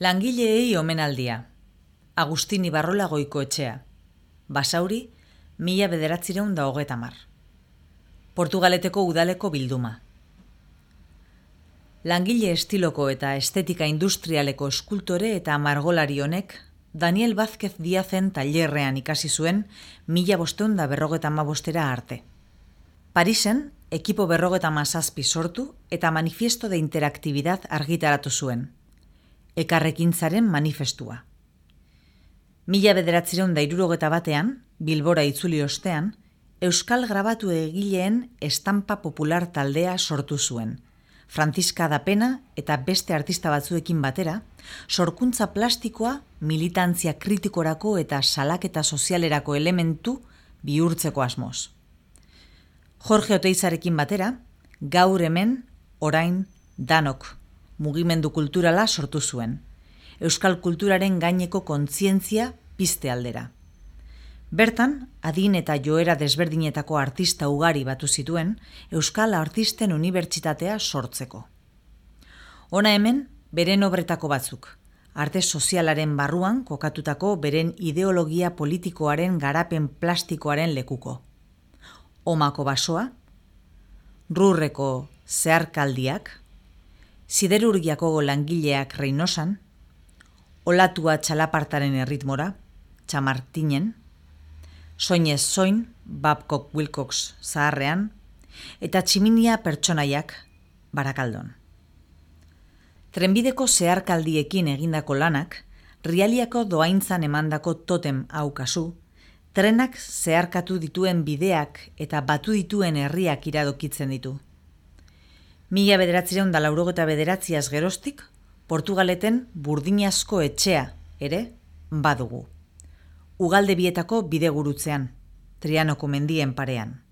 Langileei omenaldia. Agustin Ibarrola Goikoetxea. Basauri, 1930. Portugaleteko udaleko bilduma. Langile estiloko eta estetika industrialeko eskultore eta margolari honek Daniel Vázquez Díazen tailerrean ikasi zuen 1555 arte. Parisen, ekipo 57 sortu eta manifiesto de interactividad argitaratu zuen. Elkarrekintzaren manifestua. 1961 Bilbora itzuli ostean, Euskal grabatu egileen estampa popular taldea sortu zuen. Franziska da Pena eta beste artista batzuekin batera, sorkuntza plastikoa militantzia kritikorako eta salaketa sozialerako elementu bihurtzeko asmoz. Jorge Oteizarekin batera, Gaur hemen, orain, danok, mugimendu kulturala sortu zuen. Euskal kulturaren gaineko kontzientzia pizte aldera. Bertan, adin eta joera desberdinetako artista ugari batu zituen Euskal Artisten Unibertsitatea sortzeko. Hona hemen, beren obretako batzuk, arte sozialaren barruan kokatutako beren ideologia politikoaren garapen plastikoaren lekuko. Omako basoa, Rurreko zeharkaldiak, Siderurgiako langileak Reinosan, Olatua txalapartaren erritmora, Txamartinen, Soinez soin, Babcock Wilcox zaharrean, eta Tximinia pertsonaiak Barakaldon. Trenbideko zeharkaldiekin egindako lanak, Rialiako doaintzan emandako totem hau kasu, trenak zeharkatu dituen bideak eta batu dituen herriak iradokitzen ditu. 1989 geroztik, Portugaleten Burdinazko etxea ere badugu. Ugalde bietako bidegurutzean, Trianoko mendien parean.